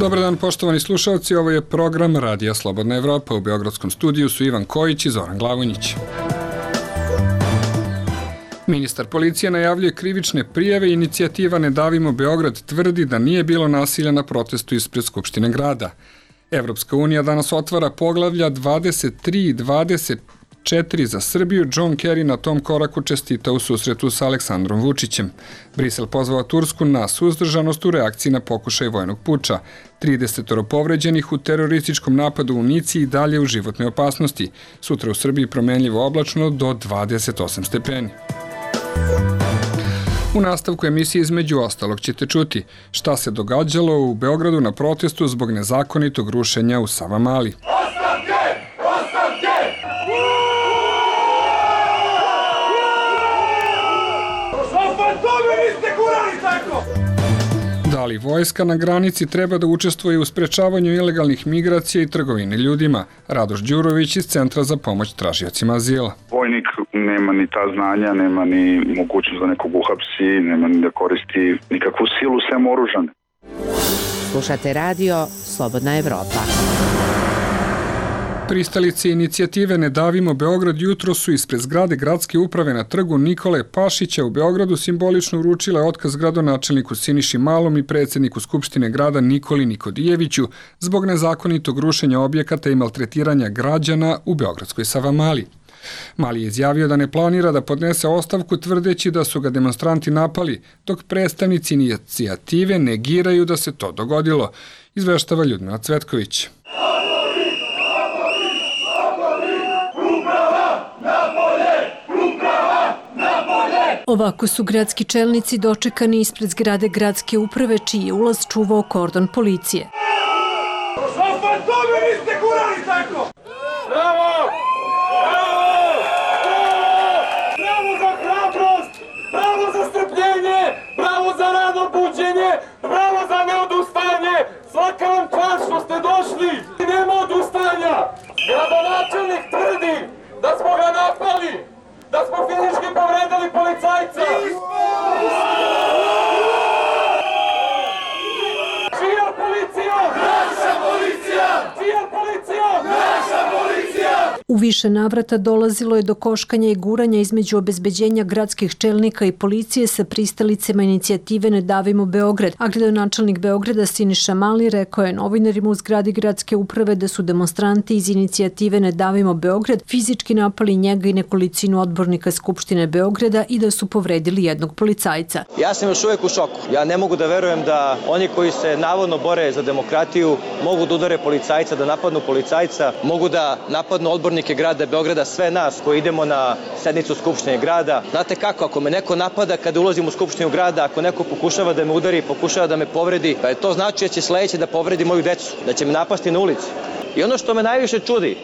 Dobar dan, poštovani slušalci, ovo je program Radija Slobodna Evropa. U Beogradskom studiju su Ivan Kojić i Zoran Glavonjić. Ministar policije najavljuje krivične prijave. Inicijativa Ne davimo Beograd tvrdi da nije bilo nasilja na protestu ispred Skupštine grada. Evropska unija danas otvara poglavlja 23 i 24 za Srbiju. John Kerry na tom koraku čestita u susretu sa Aleksandrom Vučićem. Brisel pozvao Tursku na suzdržanost u reakciji na pokušaj vojnog puča. 30 povređenih u terorističkom napadu u Nici i dalje u životnoj opasnosti. Sutra u Srbiji promenljivo oblačno do 28 stepeni. U nastavku emisije između ostalog ćete čuti šta se događalo u Beogradu na protestu zbog nezakonitog rušenja u Savamali. Da li vojska na granici treba da učestvuje u sprečavanju ilegalnih migracija i trgovine ljudima? Radoš Đurović iz Centra za pomoć tražiocima azila. Vojnik nema ni ta znanja, nema ni mogućnost da nekog uhapsi, nema ni da koristi nikakvu silu sem oružane. Slušate radio Slobodna Evropa. Pristalice inicijative Ne davimo Beograd jutro su ispred zgrade gradske uprave na trgu Nikole Pašića u Beogradu simbolično uručile otkaz gradonačelniku Siniši Malom i predsjedniku Skupštine grada Nikoli Nikodijeviću zbog nezakonitog rušenja objekata i maltretiranja građana u beogradskoj Savamali. Mali je izjavio da ne planira da podnese ostavku tvrdeći da su ga demonstranti napali, dok predstavnici inicijative negiraju da se to dogodilo, izveštava Ljudmila Cvetković. Ovako su gradski čelnici dočekani ispred zgrade gradske uprave, čiji je ulaz čuvao kordon policije. Bravo! Bravo za hrabrost! Bravo za strpljenje! Bravo za rano buđenje! Bravo za neodustajanje! Svaka vam čast što ste došli! Nema odustajanja! Gradonačelnik tvrdi da smo ga napali! Da smo fizički povredili policajca! Čija policija? Naša policija! Čija policija? Naša policija! U više navrata dolazilo je do koškanja i guranja između obezbeđenja gradskih čelnika i policije sa pristalicama inicijative Ne davimo Beograd, a gradonačelnik Beograda Siniša Mali rekao je novinarima u zgradi gradske uprave da su demonstranti iz inicijative Ne davimo Beograd fizički napali njega i nekolicinu odbornika Skupštine Beograda i da su povredili jednog policajca. Ja sam još uvijek u šoku. Ja ne mogu da verujem da oni koji se navodno bore za demokratiju mogu da udare policajca, da napadnu policajca, mogu da napadnu odbornike grada Beograda, sve nas koji idemo na sednicu Skupštine grada. Znate kako, ako me neko napada kada ulazim u Skupštinu grada, ako neko pokušava da me udari, pokušava da me povredi, pa to znači da će sledeće da povredi moju decu, da će me napasti na ulici. I ono što me najviše čudi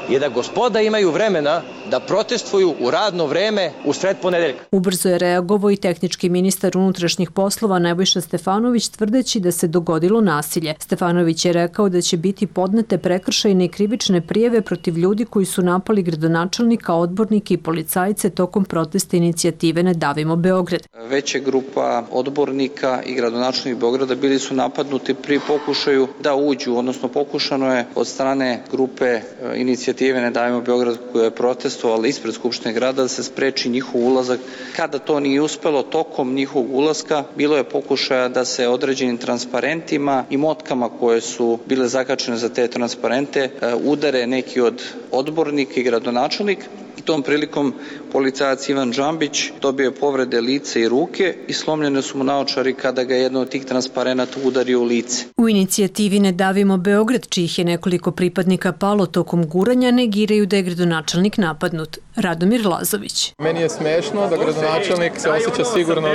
je da gospoda imaju vremena da protestuju u radno vreme u sred ponedeljka. Ubrzo je reagovao i tehnički ministar unutrašnjih poslova Nebojša Stefanović tvrdeći da se dogodilo nasilje. Stefanović je rekao da će biti podnete prekršajne i krivične prijave protiv ljudi koji su napali gradonačelnika, odbornike i policajce tokom protesta inicijative Ne davimo Beograd. Veća grupa odbornika i gradonačelnika Beograda bili su napadnuti pri pokušaju da uđu, odnosno pokušano je od strane grupe inicijative Ne davimo Beograd koja je protestovala ispred Skupštine grada da se spreči njihov ulazak. Kada to nije uspelo, tokom njihovog ulaska bilo je pokušaja da se određenim transparentima i motkama koje su bile zakačene za te transparente udare neki od odbornika i gradonačelnik. I tom prilikom policajac Ivan Džambić dobio je povrede lice i ruke i slomljene su mu naočari kada ga jedno od tih transparenata udario u lice. U inicijativi Ne davimo Beograd, čijih je nekoliko pripadnika palo tokom guranja, negiraju da je gradonačelnik napadnut. Radomir Lazović. Meni je smešno da gradonačelnik se osjeća sigurno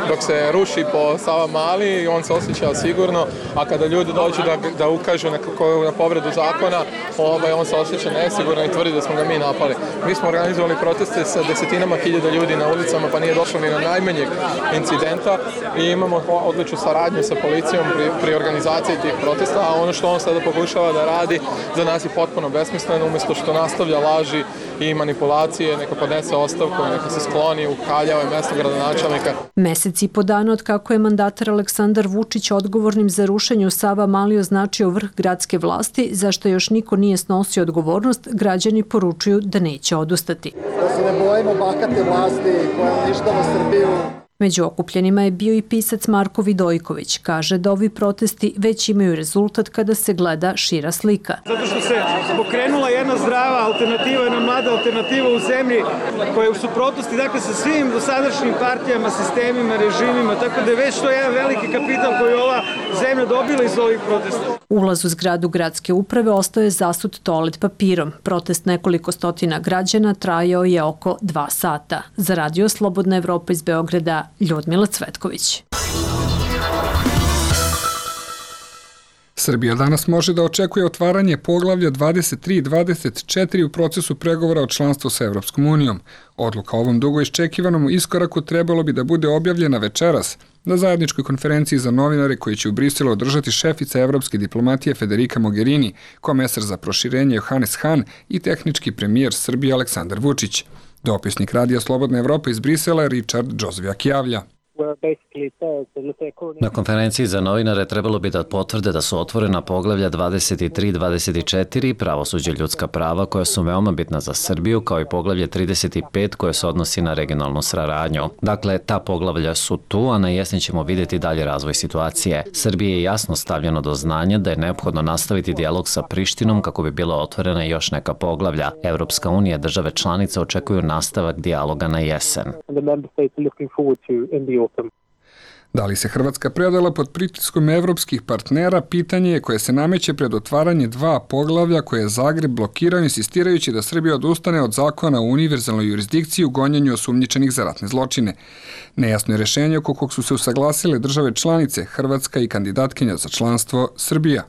dok se ruši po Savamali i on se osjeća sigurno, a kada ljudi dođu da ukažu na povredu zakona, on se osjeća nesigurno i tvrdi da smo ga mi napali. Mi smo organizovali protest jeste sa desetinama hiljada ljudi na ulicama, pa nije došlo ni na najmanjeg incidenta i imamo odličnu saradnju sa policijom pri organizaciji tih protesta, a ono što on sada pokušava da radi za nas je potpuno besmisleno, umjesto što nastavlja laži i manipulacije, neka podnese ostavku, neka se skloni u Kaljeve, mesto gradonačelnika. Mesec i po dana od kako je mandatar Aleksandar Vučić odgovornim za rušenje u Savamali označio vrh gradske vlasti, zašto još niko nije snosio odgovornost, građani poručuju da neće odustati. Da se ne bojimo bahate vlasti koja uništava Srbiju. Među okupljenima je bio i pisac Marko Vidojković. Kaže da ovi protesti već imaju rezultat kada se gleda šira slika. Zato što se pokrenula jedna zdrava alternativa, jedna mlada alternativa u zemlji koja je u suprotnosti sa svim dosadašnjim partijama, sistemima, režimima, tako da je već to jedan veliki kapital koji je ova zemlja dobila iz ovih protesta. Ulaz u zgradu gradske uprave ostao je zasut toalet papirom. Protest nekoliko stotina građana trajao je oko 2 sata. Za Radio Slobodna Evropa iz Beograda, Ljudmila Cvetković. Srbija danas može da očekuje otvaranje poglavlja 23 i 24 u procesu pregovora o članstvu sa Evropskom unijom. Odluka o ovom dugo iščekivanom iskoraku trebalo bi da bude objavljena večeras na zajedničkoj konferenciji za novinare koji će u Briselu održati šefica evropske diplomatije Federica Mogherini, komesar za proširenje Johannes Hahn i tehnički premijer Srbije Aleksandar Vučić. Dopisnik Radija Slobodna Evropa iz Brisela Richard Džozvijak javlja. Na konferenciji za novinare trebalo bi da potvrde da su otvorena poglavlja 23 i 24, pravosuđe, ljudska prava, koja su veoma bitna za Srbiju, kao i poglavlje 35 koje se odnosi na regionalnu saradnju. Dakle, ta poglavlja su tu, a na jesen ćemo vidjeti dalje razvoj situacije. Srbiji je jasno stavljeno do znanja da je neophodno nastaviti dijalog sa Prištinom kako bi bila otvorena još neka poglavlja. Evropska unija i države članice očekuju nastavak dijaloga na jesen. Da li se Hrvatska predala pod pritiskom evropskih partnera, pitanje je koje se nameće pred otvaranje 2 poglavlja koje je Zagreb blokirao insistirajući da Srbija odustane od zakona o univerzalnoj jurisdikciji u gonjenju osumnjičenih za ratne zločine. Nejasno je rešenje oko kog su se usaglasile države članice, Hrvatska i kandidatkinja za članstvo Srbija.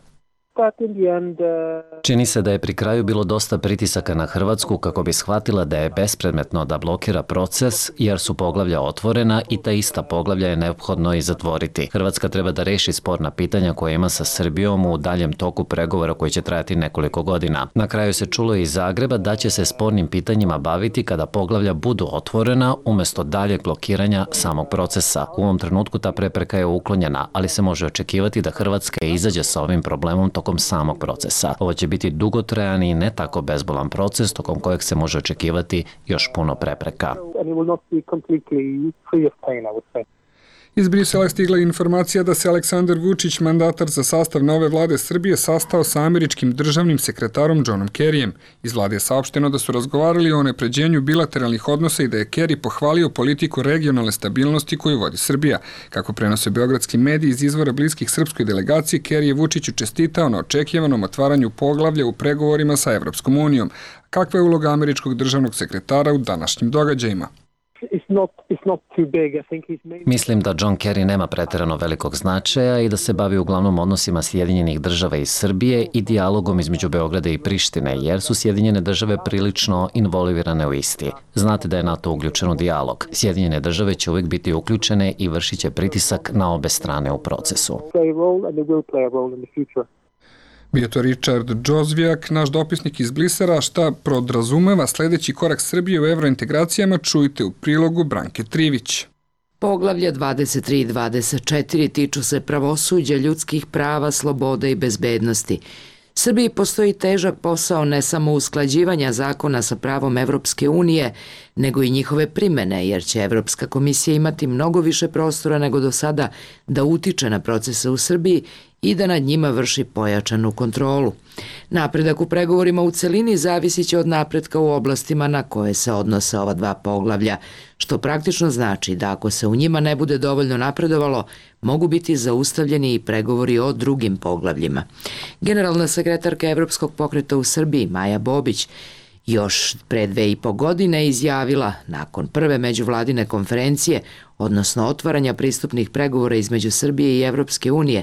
Čini se da je pri kraju bilo dosta pritisaka na Hrvatsku kako bi shvatila da je bespredmetno da blokira proces jer su poglavlja otvorena i ta ista poglavlja je neophodno i zatvoriti. Hrvatska treba da reši sporna pitanja koje ima sa Srbijom u daljem toku pregovora koji će trajati nekoliko godina. Na kraju se čulo iz Zagreba da će se spornim pitanjima baviti kada poglavlja budu otvorena umjesto daljeg blokiranja samog procesa. U ovom trenutku ta prepreka je uklonjena, ali se može očekivati da Hrvatska izađe sa ovim problemom tokom samog procesa. Ovo će biti dugotrajan i ne tako bezbolan proces tokom kojeg se može očekivati još puno prepreka. Iz Brisela je stigla informacija da se Aleksandar Vučić, mandatar za sastav nove vlade Srbije, sastao sa američkim državnim sekretarom Johnom Kerryjem. Iz vlade je saopšteno da su razgovarali o unapređenju bilateralnih odnosa i da je Kerry pohvalio politiku regionalne stabilnosti koju vodi Srbija. Kako prenose beogradski mediji iz izvora bliskih srpskoj delegaciji, Kerry je Vučiću čestitao na očekivanom otvaranju poglavlja u pregovorima sa Evropskom unijom. Kakva je uloga američkog državnog sekretara u današnjim događajima? Mislim da John Kerry nema preterano velikog značaja i da se bavi uglavnom odnosima Sjedinjenih država i Srbije i dijalogom između Beograda i Prištine, jer su Sjedinjene države prilično involvirane u isti. Znate da je NATO uključen u dijalog. Sjedinjene države će uvijek biti uključene i vršit će pritisak na obe strane u procesu. Bio to Richard Džozvijak, naš dopisnik iz Brisela, šta podrazumeva sljedeći korak Srbije u evrointegracijama, čujte u prilogu Branke Trivić. Poglavlja 23 i 24 tiču se pravosuđa, ljudskih prava, sloboda i bezbednosti. Srbiji postoji težak posao ne samo usklađivanja zakona sa pravom Evropske unije, nego i njihove primene, jer će Evropska komisija imati mnogo više prostora nego do sada da utiče na procese u Srbiji i da nad njima vrši pojačanu kontrolu. Napredak u pregovorima u celini zavisit će od napretka u oblastima na koje se odnose ova 2 poglavlja, što praktično znači da ako se u njima ne bude dovoljno napredovalo, mogu biti zaustavljeni i pregovori o drugim poglavljima. Generalna sekretarka Evropskog pokreta u Srbiji, Maja Bobić, još pre 2,5 godine izjavila, nakon prve međuvladine konferencije, odnosno otvaranja pristupnih pregovora između Srbije i Evropske unije,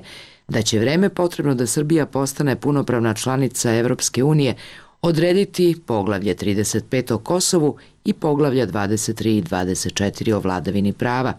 da će vreme potrebno da Srbija postane punopravna članica Evropske unije odrediti poglavlje 35 o Kosovu i poglavlja 23 i 24 o vladavini prava.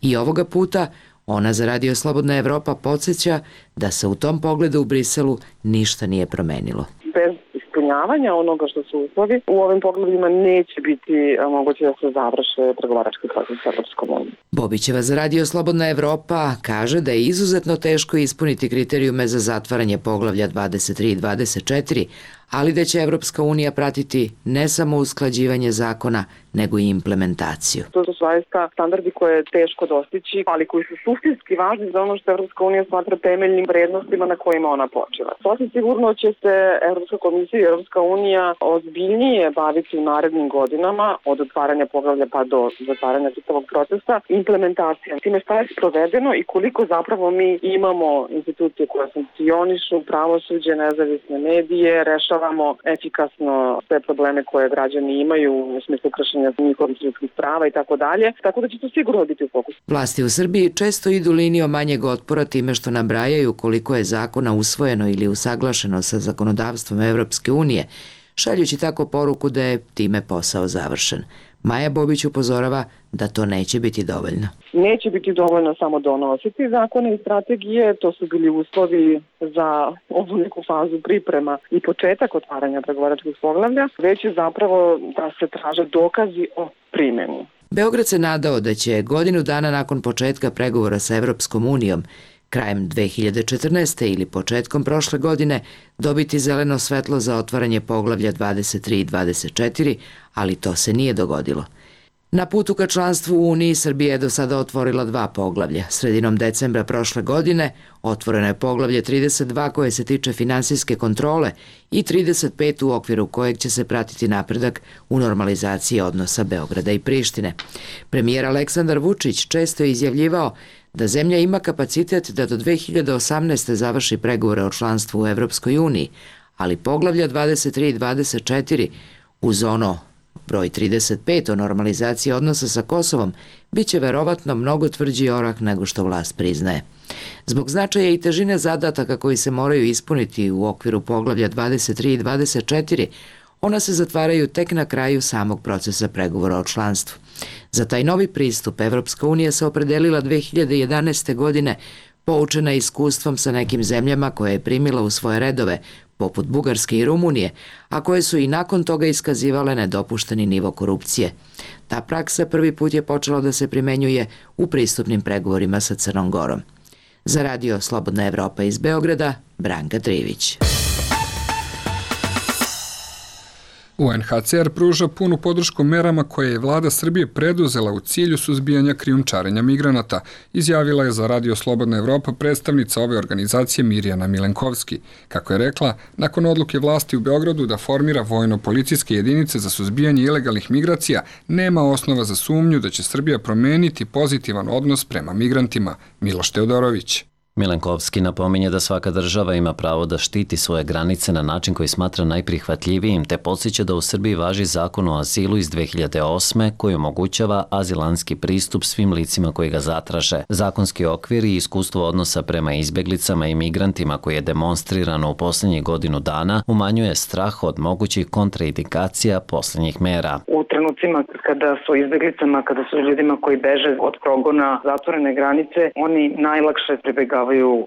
I ovoga puta ona za Radio Slobodna Evropa podsjeća da se u tom pogledu u Briselu ništa nije promenilo. Bez ispunjavanja onoga što su uslovi, u ovim pogledima neće biti moguće da se završe pregovarački proces sa Evropskom unijom. Bobićeva za Radio Slobodna Evropa kaže da je izuzetno teško ispuniti kriterijume za zatvaranje poglavlja 23 i 24, ali da će Evropska unija pratiti ne samo usklađivanje zakona, nego i implementaciju. To su zaista standardi koje je teško dostići, ali koji su suštinski važni za ono što Evropska unija smatra temeljnim vrednostima na kojima ona počiva. Sasvim sigurno će se Evropska komisija i Evropska unija ozbiljnije baviti u narednim godinama, od otvaranja poglavlja pa do zatvaranja čitavog procesa, implementacijom. Time šta je sprovedeno i koliko zapravo mi imamo institucije koje funkcionišu, pravosuđe, nezavisne medije, rešavamo efikasno sve probleme koje građani imaju u smislu kršenja njihovih ljudskih prava i tako dalje. Tako da će to sigurno biti u fokusu. Vlasti u Srbiji često idu linijom manjeg otpora time što nabrajaju koliko je zakona usvojeno ili usaglašeno sa zakonodavstvom Evropske unije, šaljući tako poruku da je time posao završen. Maja Bobić upozorava da to neće biti dovoljno. Neće biti dovoljno samo donositi zakone i strategije, to su bili uslovi za ovu neku fazu priprema i početak otvaranja pregovaračkih poglavlja, već je zapravo da se traže dokazi o primjeni. Beograd se nadao da će godinu dana nakon početka pregovora sa Evropskom unijom, krajem 2014. ili početkom prošle godine, dobiti zeleno svetlo za otvaranje poglavlja 23 i 24, ali to se nije dogodilo. Na putu ka članstvu u Uniji Srbija je do sada otvorila 2 poglavlja. Sredinom decembra prošle godine otvoreno je poglavlje 32 koje se tiče finansijske kontrole i 35 u okviru kojeg će se pratiti napredak u normalizaciji odnosa Beograda i Prištine. Premijer Aleksandar Vučić često je izjavljivao da zemlja ima kapacitet da do 2018. završi pregovore o članstvu u Evropskoj uniji, ali poglavlja 23 i 24 uz ono broj 35 o normalizaciji odnosa sa Kosovom biće verovatno mnogo tvrđi orak nego što vlast priznaje. Zbog značaja i težine zadataka koji se moraju ispuniti u okviru poglavlja 23 i 24, ona se zatvaraju tek na kraju samog procesa pregovora o članstvu. Za taj novi pristup Evropska unija se opredelila 2011. godine, poučena iskustvom sa nekim zemljama koje je primila u svoje redove, poput Bugarske i Rumunije, a koje su i nakon toga iskazivale nedopušteni nivo korupcije. Ta praksa prvi put je počela da se primenjuje u pristupnim pregovorima sa Crnom Gorom. Za Radio Slobodna Evropa iz Beograda, Branka Trivić. UNHCR pruža punu podršku merama koje je vlada Srbije preduzela u cilju suzbijanja krijumčarenja migranata, izjavila je za Radio Slobodna Evropa predstavnica ove organizacije Mirjana Milenkovski. Kako je rekla, nakon odluke vlasti u Beogradu da formira vojno-policijske jedinice za suzbijanje ilegalnih migracija, nema osnova za sumnju da će Srbija promeniti pozitivan odnos prema migrantima. Miloš Teodorović. Milenkovski napominje da svaka država ima pravo da štiti svoje granice na način koji smatra najprihvatljivijim, te podsjeća da u Srbiji važi zakon o azilu iz 2008. koji omogućava azilanski pristup svim licima koji ga zatraže. Zakonski okvir i iskustvo odnosa prema izbeglicama i migrantima koji je demonstrirano u posljednjih godinu dana umanjuje strah od mogućih kontraindikacija posljednjih mera. U trenucima kada su izbeglicama, kada su ljudima koji beže od progona zatvorene granice, oni najlakše pribegavaju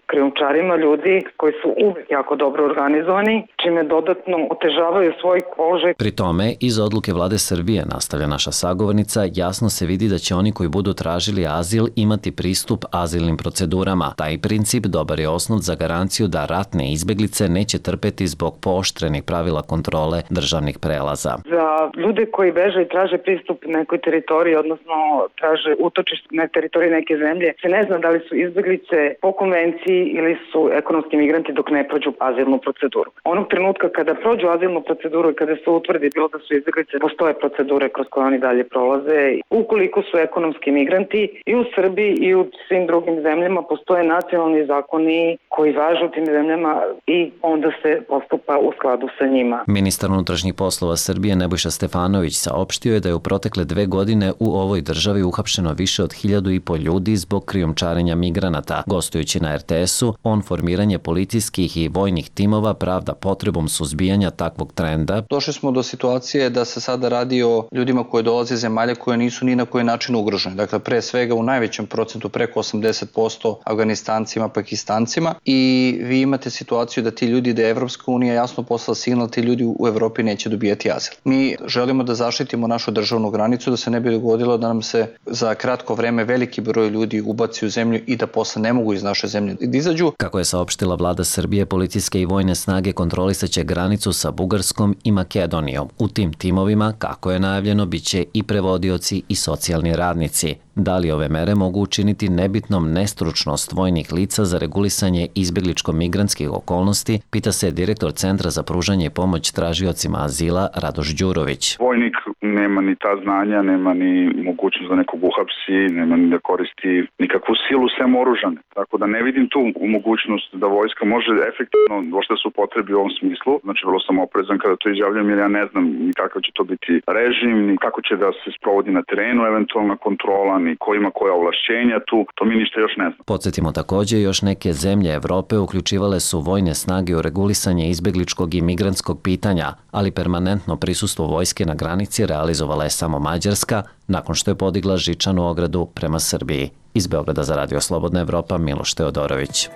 krijumčarima ljudi koji su uvek jako dobro organizovani, čime dodatno otežavaju svoj položaj. Pri tome, iz odluke vlade Srbije, nastavlja naša sagovornica, jasno se vidi da će oni koji budu tražili azil imati pristup azilnim procedurama. Taj princip dobar je osnov za garanciju da ratne izbeglice neće trpeti zbog pooštrenih pravila kontrole državnih prelaza. Za ljude koji beže i traže pristup nekoj teritoriji, odnosno traže utočište na teritoriji neke zemlje, se ne zna da li su izbeglice po konvenciji ili su ekonomski migranti dok ne prođu azilnu proceduru. Onog trenutka kada prođu azilnu proceduru i kada se utvrdi bilo da su izbeglice, postoje procedure kroz koje oni dalje prolaze. Ukoliko su ekonomski migranti i u Srbiji i u svim drugim zemljama postoje nacionalni zakoni koji važe u tim zemljama i onda se postupa u skladu sa njima. Ministar unutrašnjih poslova Srbije Nebojša Stefanović saopštio saopštio je da je u protekle 2 godine u ovoj državi uhapšeno više od 1.500 ljudi zbog krijumčarenja migranata. Gostujući na RTS-u, on formiranje policijskih i vojnih timova pravda potrebom suzbijanja takvog trenda. Došli smo do situacije da se sada radi o ljudima koji dolaze iz zemalja koje nisu ni na koji način ugrožene. Dakle, pre svega u najvećem procentu, preko 80% Afganistancima, Pakistancima, i vi imate situaciju da ti ljudi, da je Evropska unija jasno poslala signal, ti ljudi u Evropi neće dobijati azil. Mi želimo da zaštitimo našu državnu granicu, da se ne bi dogodilo da nam se za kratko vreme veliki broj ljudi ubaci u zemlju i da posle ne mogu iz naše zemlje da izađu. Kako je saopštila vlada Srbije, policijske i vojne snage kontrolisaće granicu sa Bugarskom i Makedonijom. U tim timovima, kako je najavljeno, biće i prevodioci i socijalni radnici. Da li ove mere mogu učiniti nebitnom nestručnost vojnih lica za regulisanje izbjegličko-migrantskih okolnosti, pita se direktor Centra za pružanje i pomoć tražiocima azila Radoš Đurović. Vojnik nema ni ta znanja, nema ni mogućnost da nekog uhapsi, nema ni da koristi nikakvu silu sem oružane. Tako da ne vidim tu mogućnost da vojska može efektivno došta se upotrebi u ovom smislu. Znači, vrlo sam oprezan kada to izjavljam, jer ja ne znam ni kakav će to biti režim, ni kako će da se sprovodi na terenu eventualna kontrola, ni ko ima koja ovlašćenja tu, to mi ništa još ne znam. Podsjetimo također, još neke zemlje Evrope uključivale su vojne snage u regulisanje izbjegličkog i migrantskog pitanja, ali permanentno prisustvo vojske na granici realizovala je samo Mađarska, nakon što je podigla žičanu ogradu prema Srbiji. Iz Beograda za Radio Slobodna Evropa, Miloš Teodorović.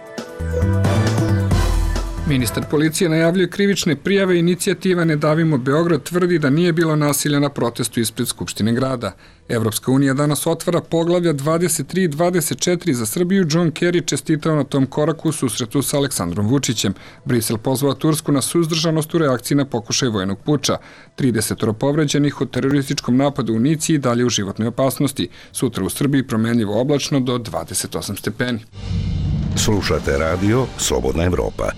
Ministar policije najavljuje krivične prijave. Inicijativa Ne davimo Beograd tvrdi da nije bilo nasilja na protestu ispred Skupštine grada. Evropska unija danas otvara poglavlja 23 i 24 za Srbiju. John Kerry čestitao na tom koraku u susretu sa Aleksandrom Vučićem. Brisel pozvao Tursku na suzdržanost u reakciji na pokušaj vojnog puča. 30 povređenih u terorističkom napadu u Nici i dalje u životnoj opasnosti. Sutra u Srbiji promenljivo oblačno do 28 stepeni. Slušate radio Slobodna Evropa.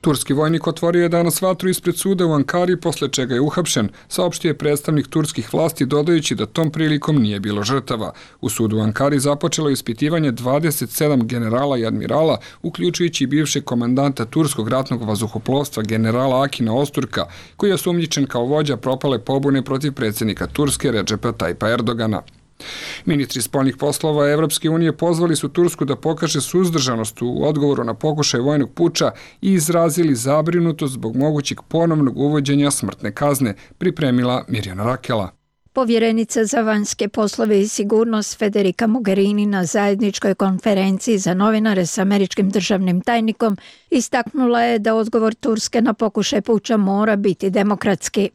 Turski vojnik otvorio je danas vatru ispred suda u Ankari, posle čega je uhapšen, saopštio je predstavnik turskih vlasti, dodajući da tom prilikom nije bilo žrtava. U sudu u Ankari započelo ispitivanje 27 generala i admirala, uključujući i bivšeg komandanta turskog ratnog vazduhoplovstva generala Akina Osturka, koji je osumnjičen kao vođa propale pobune protiv predsjednika Turske Redžepa Tajpa Erdogana. Ministri spoljnih poslova Evropske unije pozvali su Tursku da pokaže suzdržanost u odgovoru na pokušaj vojnog puča i izrazili zabrinutost zbog mogućeg ponovnog uvođenja smrtne kazne, pripremila Mirjana Rakela. Povjerenica za vanjske poslove i sigurnost Federica Mogherini na zajedničkoj konferenciji za novinare s američkim državnim tajnikom istaknula je da odgovor Turske na pokušaj puča mora biti demokratski.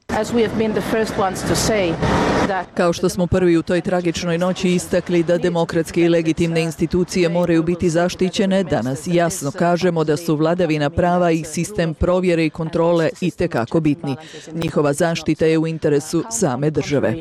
Kao što smo prvi u toj tragičnoj noći istakli da demokratske i legitimne institucije moraju biti zaštićene, danas jasno kažemo da su vladavina prava i sistem provjere i kontrole itekako bitni. Njihova zaštita je u interesu same države.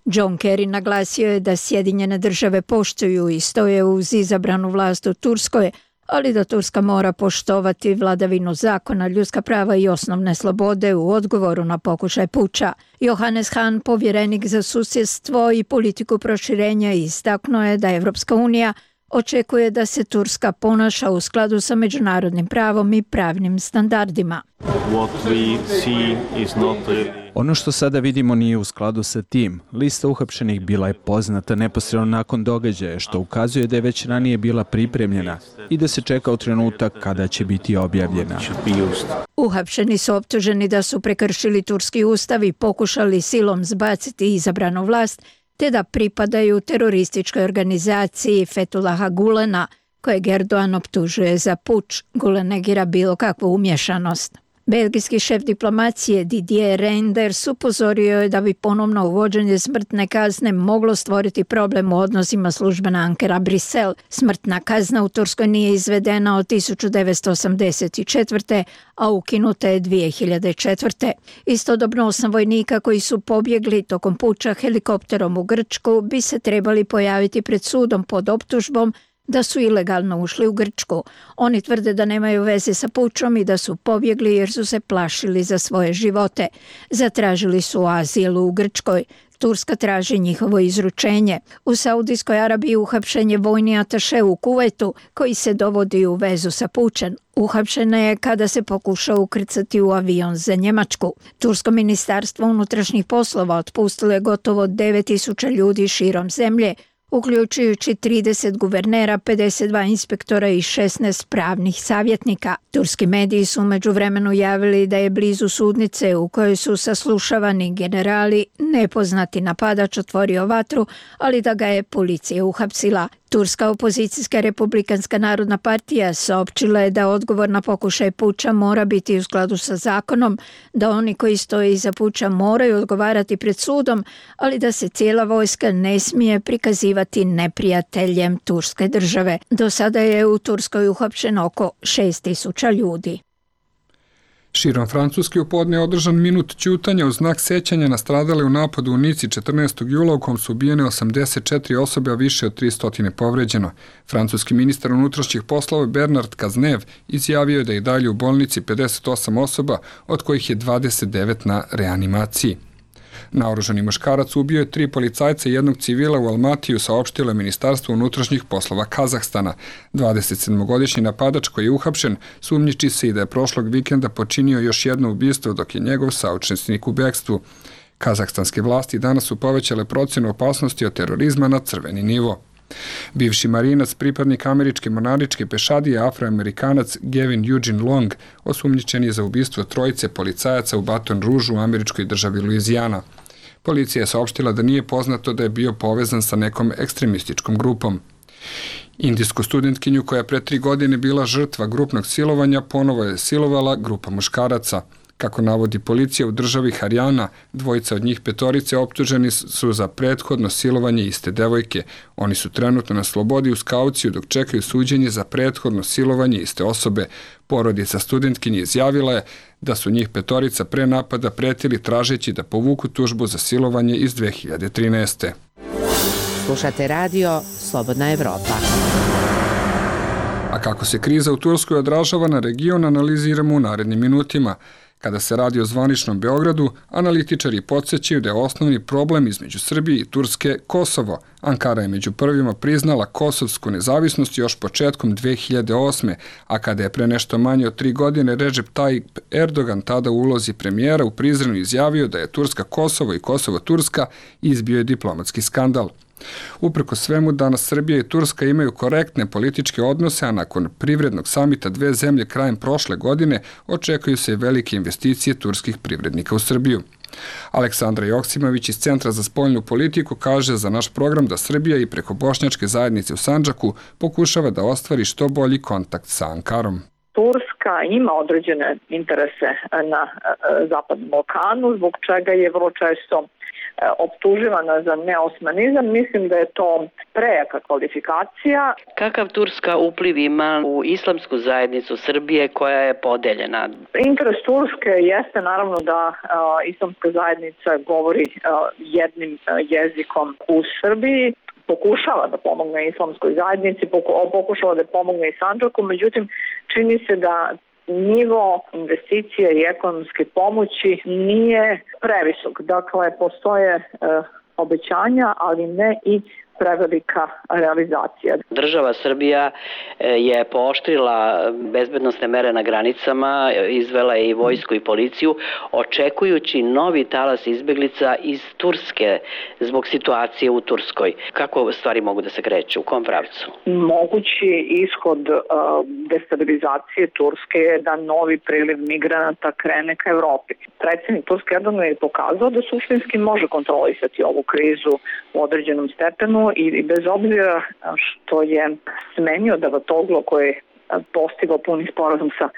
John Kerry naglasio je da Sjedinjene države poštuju i stoje uz izabranu vlast u Turskoj, ali da Turska mora poštovati vladavinu zakona, ljudska prava i osnovne slobode u odgovoru na pokušaj puča. Johannes Hahn, povjerenik za susjedstvo i politiku proširenja, istaknuo je da Evropska unija očekuje da se Turska ponaša u skladu sa međunarodnim pravom i pravnim standardima. Ono što sada vidimo nije u skladu sa tim. Lista uhapšenih bila je poznata neposredno nakon događaja, što ukazuje da je već ranije bila pripremljena i da se čeka u trenutak kada će biti objavljena. Uhapšeni su optuženi da su prekršili turski ustav i pokušali silom zbaciti izabranu vlast, te da pripadaju terorističkoj organizaciji Fethullaha Gulena, kojeg Erdogan optužuje za puč. Gulen negira bilo kakvu umješanost. Belgijski šef diplomacije Didier Reynders upozorio je da bi ponovno uvođenje smrtne kazne moglo stvoriti problem u odnosima službena Ankara-Brisel. Smrtna kazna u Turskoj nije izvedena od 1984. a ukinuta je 2004. Istodobno 8 vojnika koji su pobjegli tokom puča helikopterom u Grčku bi se trebali pojaviti pred sudom pod optužbom da su ilegalno ušli u Grčku. Oni tvrde da nemaju veze sa pučom i da su pobjegli jer su se plašili za svoje živote. Zatražili su azil u Grčkoj. Turska traži njihovo izručenje. U Saudijskoj Arabiji uhapšen je vojni ataše u Kuvajtu koji se dovodi u vezu sa pučem. Uhapšena je kada se pokušao ukrcati u avion za Njemačku. Tursko ministarstvo unutrašnjih poslova otpustilo je gotovo 9.000 ljudi širom zemlje, uključujući 30 guvernera, 52 inspektora i 16 pravnih savjetnika. Turski mediji su umeđu vremenu javili da je blizu sudnice u kojoj su saslušavani generali nepoznati napadač otvorio vatru, ali da ga je policija uhapsila. Turska opozicijska Republikanska narodna partija saopćila je da odgovor na pokušaj puča mora biti u skladu sa zakonom, da oni koji stoje iza puča moraju odgovarati pred sudom, ali da se cijela vojska ne smije prikazivati neprijateljem turske države. Do sada je u Turskoj uhapšeno oko 6.000 ljudi. Širom Francuske u podne je održan minut ćutanja u znak sećanja na stradale u napadu u Nici 14. jula u kom su ubijene 84 osobe, a više od 300 povređeno. Francuski ministar unutrašnjih poslova Bernard Cazeneuve izjavio je da je dalje u bolnici 58 osoba, od kojih je 29 na reanimaciji. Naoružani muškarac ubio je 3 policajca i jednog civila u Almatiju, saopštilo je Ministarstvo unutrašnjih poslova Kazahstana. 27-godišnji napadač koji je uhapšen sumnjiči se i da je prošlog vikenda počinio još jedno ubistvo dok je njegov saučesnik u bekstvu. Kazahstanske vlasti danas su povećale procenu opasnosti od terorizma na crveni nivo. Bivši marinac, pripadnik američke mornaričke pešadije, afroamerikanac Gavin Eugene Long, osumnjičen je za ubistvo trojice policajaca u Baton Rouge u američkoj državi Luizijana. Policija je saopštila da nije poznato da je bio povezan sa nekom ekstremističkom grupom. Indijsku studentkinju koja je pre 3 godine bila žrtva grupnog silovanja ponovo je silovala grupa muškaraca. Kako navodi policija u državi Harijana, dvojica od njih 5 optuženi su za prethodno silovanje iste devojke. Oni su trenutno na slobodi uz kauciju dok čekaju suđenje za prethodno silovanje iste osobe. Porodica studentkinje izjavila je da su njih 5 pre napada pretili tražeći da povuku tužbu za silovanje iz 2013. Slušate radio Slobodna Evropa. A kako se kriza u Turskoj odražava na region, analiziramo u narednim minutima. Kada se radi o zvaničnom Beogradu, analitičari podsjećaju da je osnovni problem između Srbije i Turske Kosovo. Ankara je među prvima priznala kosovsku nezavisnost još početkom 2008. A kada je pre nešto manje od 3 godine Recep Tayyip Erdogan, tada u ulozi premijera, u Prizrenu izjavio da je Turska Kosovo i Kosovo Turska, izbio je diplomatski skandal. Uprko svemu, danas Srbija i Turska imaju korektne političke odnose, a nakon privrednog samita dve zemlje krajem prošle godine očekuju se velike investicije turskih privrednika u Srbiju. Aleksandra Joksimović iz Centra za spoljnu politiku kaže za naš program da Srbija i preko bošnjačke zajednice u Sandžaku pokušava da ostvari što bolji kontakt sa Ankarom. Turska ima određene interese na Zapadnom Balkanu, zbog čega je vrlo često optuživana za neosmanizam. Mislim da je to prejaka kvalifikacija. Kakav Turska upliv ima u islamsku zajednicu Srbije koja je podeljena? Interes Turske jeste naravno da islamska zajednica govori jednim jezikom u Srbiji. Pokušava da pomogne islamskoj zajednici, pokušava da pomogne i Sandžaku, međutim čini se da nivo investicije i ekonomske pomoći nije previsok. Dakle, postoje obećanja, ali ne i prevelika realizacija. Država Srbija je pooštrila bezbednosne mere na granicama, izvela je i vojsku i policiju, očekujući novi talas izbeglica iz Turske zbog situacije u Turskoj. Kako stvari mogu da se kreću? U kom pravcu? Mogući ishod destabilizacije Turske je da novi priliv migranata krene ka Evropi. Predsjednik Turske Erdogan je pokazao da suštinski može kontrolisati ovu krizu u određenom stepenu i bez obzira što je smenio Davutoglu koji je postigao puni sporazum sa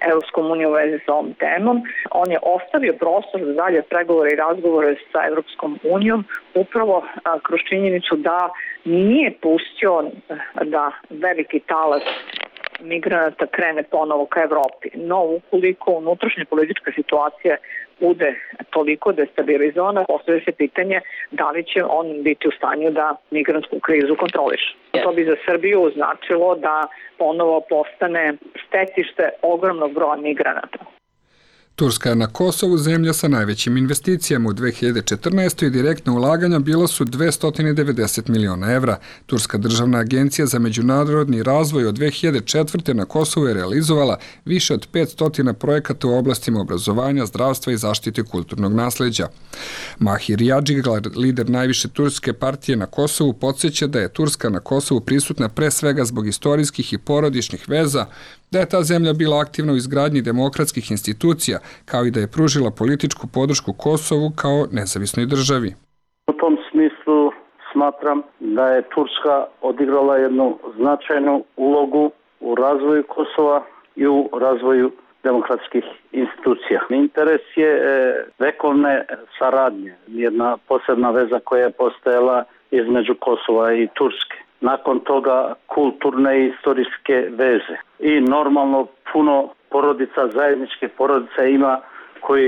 Evropskom unijom u vezi sa ovom temom, on je ostavio prostor za dalje pregovore i razgovore sa Evropskom unijom upravo kroz činjenicu da nije pustio da veliki talas migranata krene ponovo ka Evropi. No, ukoliko unutrašnja politička situacija bude toliko destabilizovana, postavlja se pitanje da li će on biti u stanju da migrantsku krizu kontroliše. To bi za Srbiju značilo da ponovo postane stecište ogromnog broja migranata. Turska je na Kosovu zemlja sa najvećim investicijama. U 2014. i direktna ulaganja bila su 290 miliona evra. Turska državna agencija za međunarodni razvoj od 2004. na Kosovu je realizovala više od 500 projekata u oblastima obrazovanja, zdravstva i zaštite kulturnog nasleđa. Mahir Yadžiglar, lider najviše turske partije na Kosovu, podsjeća da je Turska na Kosovu prisutna pre svega zbog istorijskih i porodičnih veza, da je ta zemlja bila aktivna u izgradnji demokratskih institucija, kao i da je pružila političku podršku Kosovu kao nezavisnoj državi. U tom smislu smatram da je Turska odigrala jednu značajnu ulogu u razvoju Kosova i u razvoju demokratskih institucija. Interes je vekovne saradnje, jedna posebna veza koja je postojala između Kosova i Turske. Nakon toga kulturne i istorijske veze. I normalno puno porodica, zajedničke porodice ima koji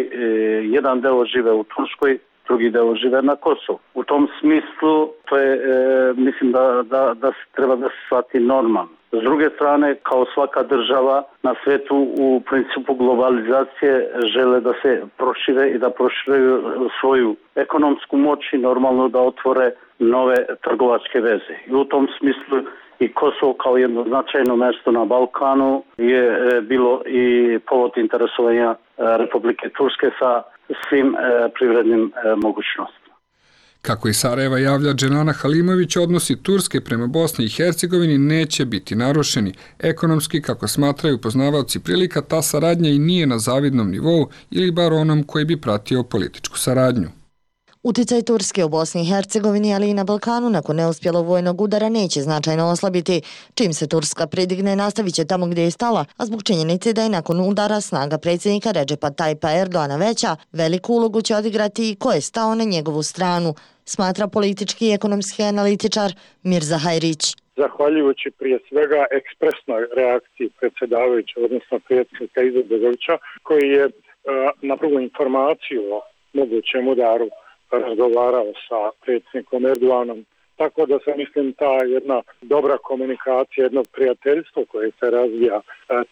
jedan deo žive u Turskoj, drugi deo žive na Kosovu. U tom smislu to je, mislim da treba da se shvati normalno. S druge strane, kao svaka država na svetu u principu globalizacije žele da se prošire i da proširuju svoju ekonomsku moć i normalno da otvore nove trgovačke veze. I u tom smislu i Kosovo kao jedno značajno mesto na Balkanu je bilo i povod interesovanja Republike Turske sa svim privrednim mogućnostima. Kako i Sarajeva javlja Dženana Halimović, odnosi Turske prema Bosni i Hercegovini neće biti narušeni. Ekonomski, kako smatraju poznavaoci prilika, ta saradnja i nije na zavidnom nivou ili bar onom koji bi pratio političku saradnju. Uticaj Turske u Bosni i Hercegovini, ali i na Balkanu nakon neuspjelog vojnog udara neće značajno oslabiti. Čim se Turska pridigne, nastavit će tamo gdje je stala, a zbog činjenice da je nakon udara snaga predsjednika Redžepa Tajpa Erdoana veća, veliku ulogu će odigrati i ko je stao na njegovu stranu, smatra politički i ekonomski analitičar Mirza Hajrić. Zahvaljujući prije svega ekspresnoj reakciji predsjedavajuća, odnosno predsjednika Izetbegovića, koji je na prvu informaciju o mogućem udaru razgovarao sa predsjednikom Erdoganom. Tako da se mislim ta jedna dobra komunikacija, jedno prijateljstvo koje se razvija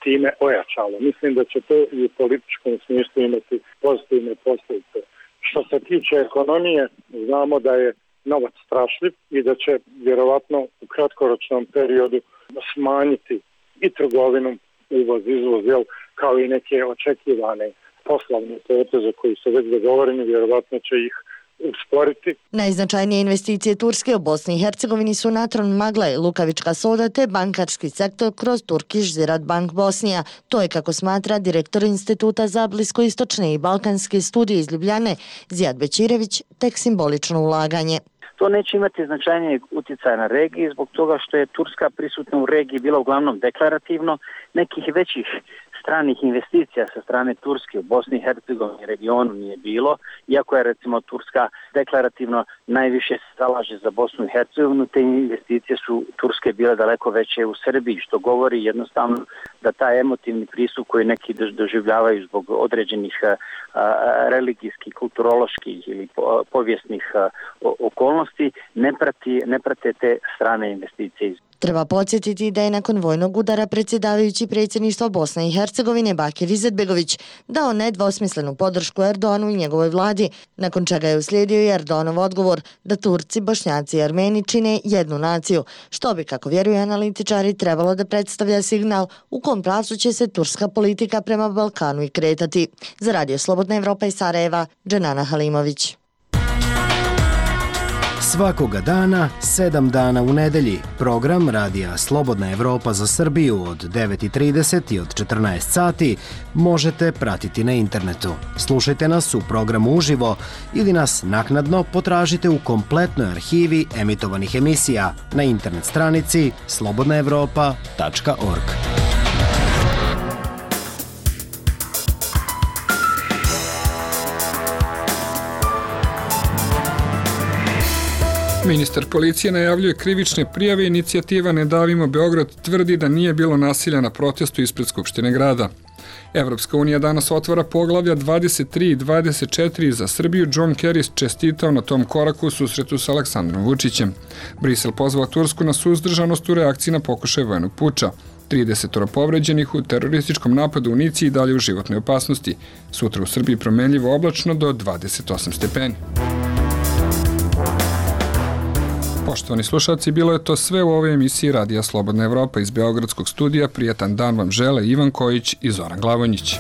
time ojačalo. Mislim da će to i u političkom smislu imati pozitivne posljedice. Što se tiče ekonomije, znamo da je novac strašljiv i da će vjerovatno u kratkoročnom periodu smanjiti i trgovinu, uvoz, izvoz, kao i neke očekivane poslovne poteze koji su već dogovoreni, vjerovatno će ih usporiti. Najznačajnije investicije Turske u Bosni i Hercegovini su Natron Magle, Lukavička soda te bankarski sektor kroz Turkish Ziraat Bank Bosnija. To je, kako smatra direktor Instituta za bliskoistočne i balkanske studije iz Ljubljane, Zijad Bećirević, tek simbolično ulaganje. To neće imati značajnijeg utjecaja na regiji zbog toga što je Turska prisutna u regiji bila uglavnom deklarativno. Nekih većih stranih investicija sa strane Turske u Bosni i Hercegovini regionu nije bilo, iako je recimo Turska deklarativno najviše se zalaže za Bosnu i Hercegovinu, te investicije su Turske bile daleko veće u Srbiji, što govori jednostavno da taj emotivni pristup koji neki doživljavaju zbog određenih religijskih, kulturoloških ili povijesnih okolnosti ne prate te strane investicije. Treba podsjetiti da je nakon vojnog udara predsjedavajući predsjedništva Bosne i Hercegovine Bakir Izetbegović dao nedvosmislenu podršku Erdoanu i njegovoj vladi, nakon čega je uslijedio i Erdoanov odgovor da Turci, Bošnjaci i Armeni čine jednu naciju, što bi, kako vjeruju analitičari, trebalo da predstavlja signal u kom pravcu će se turska politika prema Balkanu i kretati. Za Radio Slobodna Evropa iz Sarajeva, Dženana Halimović. Svakoga dana, 7 dana u nedelji, program Radija Slobodna Evropa za Srbiju od 9:30 i od 14 sati možete pratiti na internetu. Slušajte nas u programu uživo ili nas naknadno potražite u kompletnoj arhivi emitovanih emisija na internet stranici slobodnaevropa.org. Ministar policije najavljuje krivične prijave. Inicijativa Ne davimo Beograd tvrdi da nije bilo nasilja na protestu ispred Skupštine grada. Evropska unija danas otvara poglavlja 23 i 24 za Srbiju. John Kerry čestitao na tom koraku u susretu sa Aleksandrom Vučićem. Brisel pozvao Tursku na suzdržanost u reakciji na pokušaj vojnog puča. 30 povređenih u terorističkom napadu u Nici i dalje u životnoj opasnosti. Sutra u Srbiji promenljivo oblačno do 28 stepeni. Poštovani slušalci, bilo je to sve u ovoj emisiji Radija Slobodna Evropa iz Beogradskog studija. Prijatan dan vam žele Ivan Kojić i Zoran Glavonjić.